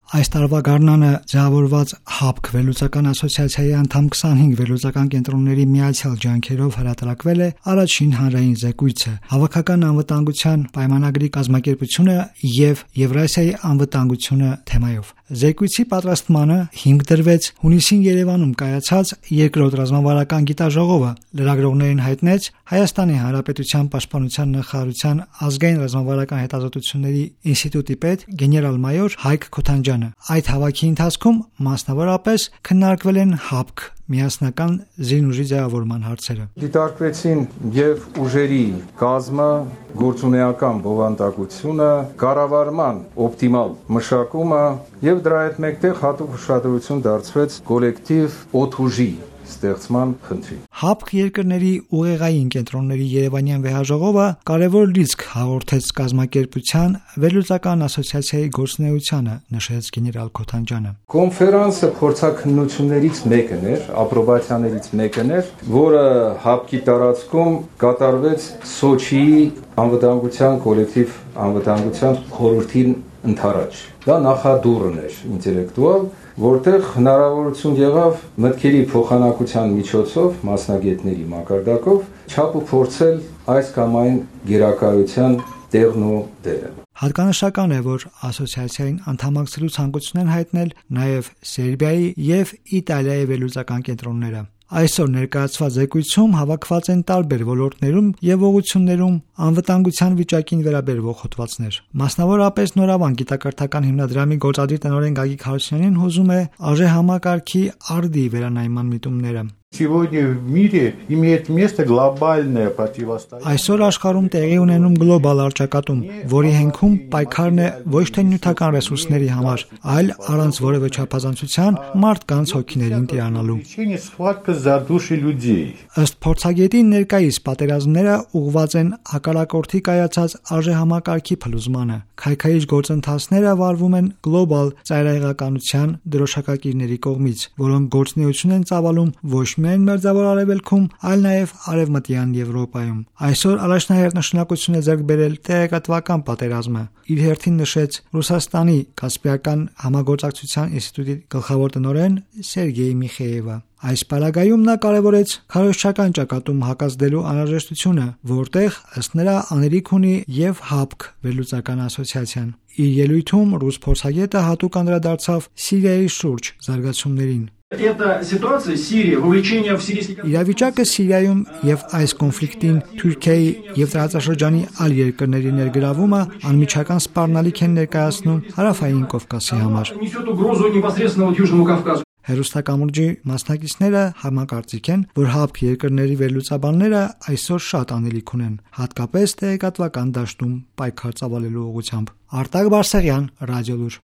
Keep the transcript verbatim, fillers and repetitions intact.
Այս տարվա գարնանը ձևավորված ՀԱԲԿ վերլուծական ասոցիացիայի անդամ քսանհինգ վերլուծական կենտրոնների միացյալ ջանքերով հրատարակվել է առաջին հանրային զեկույցը «Հավաքական անվտանգության պայմանագրի կազմակերպությունը եւ Եվրասիայի անվտանգությունը» թեմայով։ Զեկույցի պատրաստմանը հիմք դրվեց հունիսին Երևանում կայացած երկրորդ ռազմավարական գիտաժողովը։ Լրագրողներին հայտնեց Հայաստանի Հանրապետության պաշտպանության նախարարության ազգային ռազմավարական հետազոտությունների ինստիտուտի պետ գեներալ-մայոր Հայկ Քոթանջյանը։ Այդ հավաքի ընթացքում մասնավորապես քննարկվել են ՀԱԲԿ միասնական զինուժի ձևավորման հարցերը։ Դիտարկվեցին եւ ուժերի կազմը, գործունեական բովանդակությունը, կառավարման օպտիմալ մշակումը եւ դրա հետ մեկտեղ հատուկ ուշադրություն դարձվեց կոլեկտիվ օդուժի ստեղծման խնդրին։ ՀԱԲԿ երկրների ուղեղային կենտրոնների Երևանյան վեհաժողովը կարևոր լիցք հաղորդեց կազմակերպության վերլուծական ասոցիացիայի գործունեությանը, նշեց գեներալ Քոթանջյանը։ Կոնֆերանսը փորձաքննություններից մեկն էր, ապրոբացիաներից մեկն էր, որը ՀԱԲԿ-ի տարածքում կատարվեց Սոչիի անվտանգության կոլեկտիվ անվտանգության խորհրդին ընդառաջ։ Դա նախադուրն էր ինտելեկտուալ, որտեղ հնարավորություն եղավ մտքերի փոխանակության միջոցով, մասնագետների մակարդակով չափ ու փորձել այս կամ այն գերակայության տեղն ու դերը։ Հատկանշական է, որ ասոցիացիային անդամակցելու ցանկություն են հայտնել նաև Սերբիայի եւ Իտալիայի վերլուծական կենտրոնները։ Այսօր ներկայացված զեկույցում հավաքված են տարբեր ոլորտներում եւ ուղղություններում անվտանգության վիճակին վերաբերող հոդվածներ։ Մասնավորապես Նորավան գիտակրթական հիմնադրամի գործադիր տնօրեն Գագիկ Հարությունյանին հուզում է արժեհամակարգի արդի վերանայման միտումները։ Сегодня в мире имеет место глобальное противостояние. Այսօր աշխարհում տեղի ունենում գլոբալ առճակատում, որի հենքում պայքարն է ոչ թե նյութական ռեսուրսների համար, այլ առանց որևէ չափազանցության մարդկանց հոգիներին տիրանալու։ Схватка за души людей. Ըստ փորձագետի ներկայիս պատերազմները ուղղված են հակառակորդի կայացած արժեհամակարգի փլուզմանը։ Քայքայիչ գործընթացները վարվում են գլոբալ ծայրահեղականության դրոշակակիրների կողմից, որոնք գործունեություն են ծավալում ոչ միայն Մերձավոր Արևելքում, այլ նաև Արևմտյան Եվրոպայում։ Այսօր առաջնահերթ նշանակություն է ձեռք բերել տեղեկատվական պատերազմը, իր հերթին նշեց Ռուսաստանի Կասպիական համագործակցության ինստիտուտի գլխավոր տնօրեն Սերգեյ Միխեևը։ Այս պարագայում նա կարևորեց քարոզչական ճակատում հակազդելու անհրաժեշտությունը, որտեղ ըստ նրա անելիք ունի եւ ՀԱԲԿ վերլուծական ասոցիացիան։ Իր ելույթում ռուս փորձագետը հատուկ անդրադարձավ Սիրիայի շուրջ զարգացումներին։ Իրավիճակը Սիրիայում եւ այս կոնֆլիկտին Թուրքիայի եւ տարածաշրջանի այլ երկրների ներգրավումը անմիջական սպառնալիք են ներկայացնում Հարավային Կովկասի համար։ Հերոստակամուրջի մասնակիցները համակարծիք են, որ ՀԱԲԿ երկրների վերլուծաբանները այսօր շատ անելիք ունեն, հատկապես տեղեկատվական դաշտում պայքար ծավալելու ուղղությամբ։ Արտակ Բարսեղյան, Ռադիոլուր։